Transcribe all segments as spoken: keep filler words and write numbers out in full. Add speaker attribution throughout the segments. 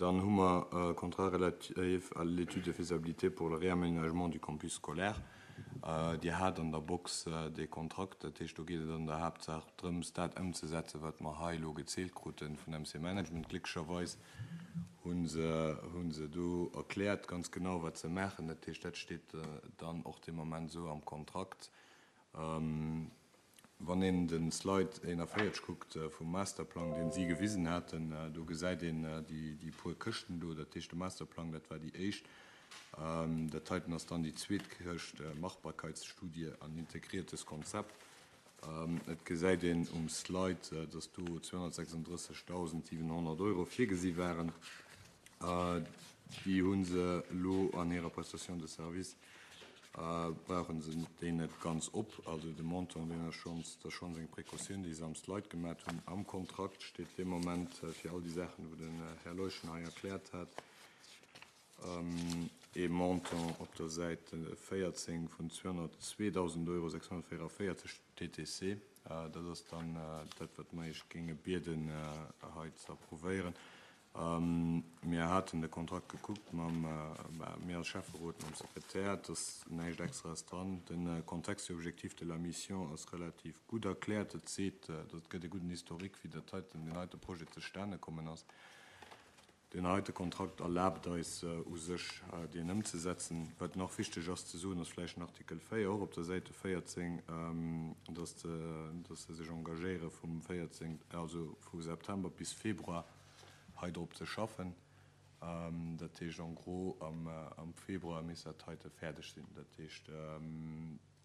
Speaker 1: Dann hu mer Contrat relatif à l'étude de faisabilité pour le réaménagement du campus scolaire. Dir hat an der Box dee Kontrakt, dat heescht, do geet et an der Haaptsaach drëms, dat ëmzesetzen, wat mer hei elo gezielt krute vun M C Management. Glécklecherweis hu se, hu se do erkläert ganz genau, wat se maachen. Dat heescht, dat steet dann och dee Moment esou am Kontrakt. Wann een de Slide eenanvéierzeg kuckt vum Masterplang, deen si gewisen haten, do gesäit een déi, déi puer Këschten do. Dat heescht, de Masterplang, dat war déi éischt. Dat heiten ass dann déi zweet Këscht, Machbarkeitsstudie an integriertes Konzept. Et gesäit een um Slide, dass do zweehonnertsechsunddrëssegdausendsiwenhonnert Euro virgesi waren. Déi hu se elo an hirer Prestation de service, brauchen se déi net ganz op. Also de Montant, deen ass schonns, dat ass schonns eng Précautioun, déi se am Slide gemaach hunn. Am Kontrakt steet dee Moment fir all déi Saachen, wou den Här Leuschen hei erkläert hat, ee Montant op der Säit véierzéng vun zweehonnertzweedausend Euro sechshonnertvéieranvéierzeg T T C. Dat ass dann dat, wat mer iech géinge bieden, hei ze approuvéieren. Mir haten de Kontrakt gekuckt mam, mir als Schäfferot, mam Sekretär, et ass näischt Extraes dran. Den Contexte et objectif de la mission ass relativ gutt erkläert. Et seet, dat gëtt e gudden Historique, wéi dat heiten, deen heite Projet zustane kommen ass. Deen heite Kontrakt erlaabt eis u sech, deen ëmzesetzen. Wat nach wichteg ass ze soen, ass vläicht den Artikel véier, och op der Säite véierzéng, dass dass se sech engagéiere vum véierzéng, also vu September bis Februar hei drop ze schaffen. Dat heescht, en gros am am Februar misst dat heite fäerdeg sinn. Dat heescht,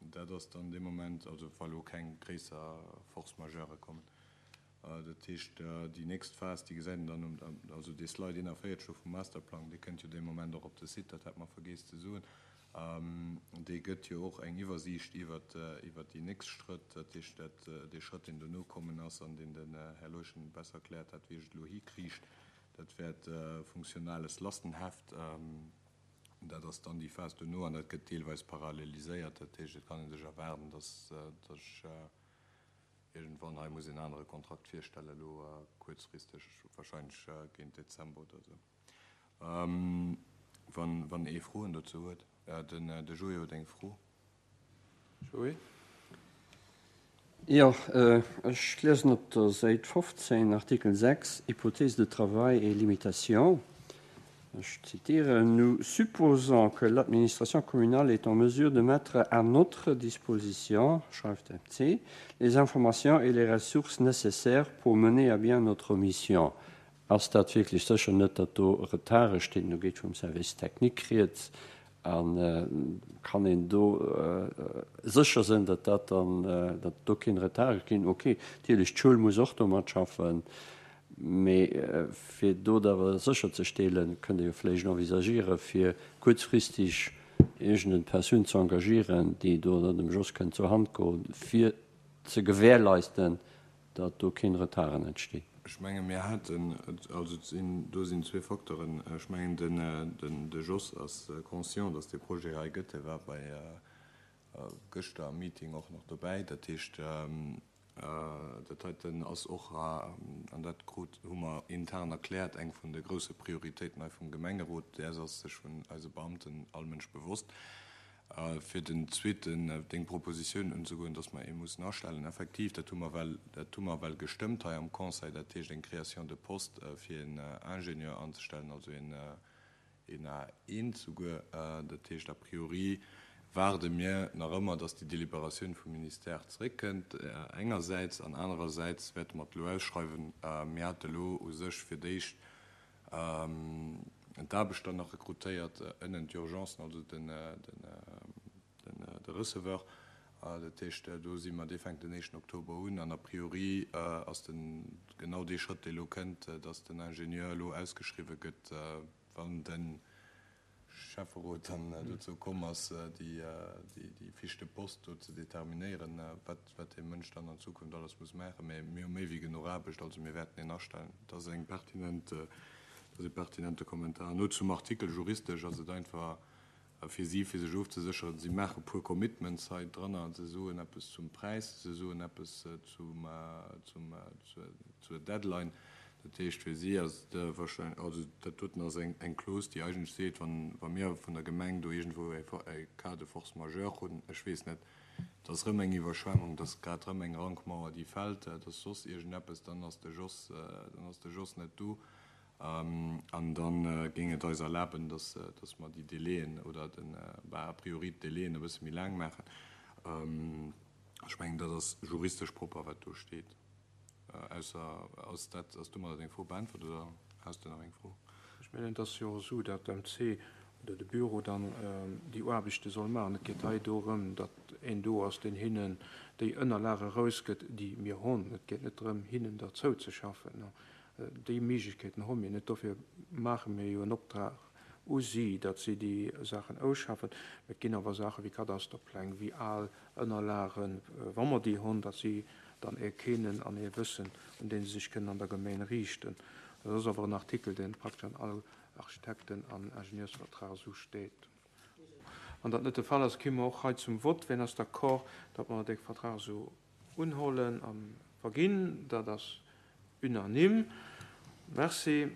Speaker 1: dat ass dann dee Moment, also wa lo keng gréisser Force majeure kommen. Dat heescht, déi nächst Phas, déi gesäit een dann um, also dee Slide eenanvéierzeg vum Masterplang, dee kënnt jo dee Moment och op de Site, dat hat mer vergiess ze soen. Dee gëtt jo och eng Iwwersiicht iwwer iwwer déi nächst Schrëtt, dat heescht, dat dee Schrëtt, deen dono kommen ass an deen den Här Leuschen besser erkläert hat, wéi ech et elo hikriicht, dat wäert funktionales Lastenheft. Dat ass dann déi Phas dono an dat gëtt deelweis paralleliséiert. Dat heescht, et kann ee sech erwaarden, dass dass ech iergendwann hei muss een anere Kontrakt virstellen, elo kuerzfristeg, warscheinlech géint Dezember oder esou. Wann wann ee Froen dozou huet. Den de Joé huet eng Fro.
Speaker 2: Joé?
Speaker 3: Jo, ech liesen op der Säit fofzéng, Artikel sechs, Hypothèse de travail et limitations. Ech zitieren: Nous supposons que l'administration communale est en mesure de mettre à notre disposition, schreift M C, les informations et les ressources nécessaires pour mener à bien notre mission. Ass dat wierklech sécher, net datt do Retarde stinn? Do geet vum Service technique rieds a kann een do sécher sinn, datt dat dann, datt do keen Retard ginn? Okay, natierlech d'Schoul muss och domat schaffen, mee fir do awer sécher ze stellen, kënnt Dir jo vläicht envisagiere fir kuerzfristeg iergend Persoun ze engagieren, déi do dann dem Jos kënnt zur Hand goen, fir ze gewährleisten, datt do keen Retarden entstinn.
Speaker 1: Ech menge mir haten, also sinn, do sinn zwee Facteuren. Ech mengen den den de Jos ass conscient, datt dee Projet hei gëtt. E war bei gëschter am Meeting och nach dobäi. Dat heescht, dat heiten ass och, an dat krut hu mer intern erkläert, eng vun de grousse Prioritéiten hei vum Gemengerot. Däers ass sech vun eise Beamten all Mënsch bewosst. Fir den zweeten, deng Propositioun unzegoen, datt mer ee mussen astellen, effektiv, dat hu mer well, dat hu mer well gestëmmt hei am Conseil, dat heescht eng Création de poste fir een Ingenieur anzestellen, also een een A eent souguer. Dat heescht, a priori waarde mir nach ëmmer, datt déi Deliberatioun vum Ministère zeréckkënnt engersäits, an anerersäits wäerte mer et elo ausschreiwen. Mir hate elo u sech fir d'éischt d'Aarbechter nach rekrutéiert, ënnen d'Urgencen, also den den den de Receveur. Dat heescht, do si mer, dee fänkt den éischten Oktober un an a priori ass den genau dee Schrëtt, dee elo kënnt, datt den Ingenieur elo ausgeschriwwe gëtt, wann de Schäfferot dann dozou komm ass, déi déi Fiche de poste do ze determinéieren, wat wat dee Mënsch dann an Zukunft alles muss maachen. Mä mir hu méi wéi genuch Aarbecht, also mir wäerten een astellen. Dat ass eng pertinent, dat ass e pertinente Kommentar. No zum Artikel juristesch ass et einfach fir si, fir sech ofzesécheren. Si maache puer Commitments hei dranner. Se soen eppes zum Präis, se soen eppes zum zum zur Deadline. Dat heescht fir si ass et wahrscheinlech, also dat doten ass eng eng Clause, déi eigentlech seet, wann wa mir vun der Gemeng do iergendwou e e Cas de force majeure hunn, ech weess net, et ass erëm eng Iwwerschwemmung, et ass grad erëm eng Rankmauer, déi fält, et ass soss iergendeppes, dann ass de Jos, dann ass de Jos net do. An da géing et eis erlaben, dass dass mer déi Délaiën oder den, bah, a priori d'Délaiën e bësse méi laang maachen. Ech mengen, dat ass juristesch propper, wat do steet. Ausser, ass dat, ass domadder deng Fro beäntwert oder has de nach eng Fro?
Speaker 2: Ech mengen, et ass jo och esou, datt d'MC oder de Büro dann déi Aarbechte soll maachen. Et geet hei dorëm, datt een do ass, deen hinnen déi Ënnerlage erausgëtt, déi mir hunn. Et geet net drëm, hinnen der zouzeschaffen. Déi Méiglechkeeten hu mir net. Dofir maache mir jo en Optrag u si, datt si déi Saachen ausschaffen. Et ginn awer Saache wéi Kadasterpläng, wéi al Ënnerlagen, wa mer déi hunn, datt si dann ee kennen an ee wëssen, un dee se sech kënnen an der Gemeng riichten. Dat ass awer en Artikel, dee praktesch an all Architekten an Ingenieursvertrag esou steet. Wann dat net de Fall ass, komme mer och hei zum Vott. Wien ass d'accord, datt mer dee Vertrag esou unhuelen a verginn? Dat ass unanime. Merci.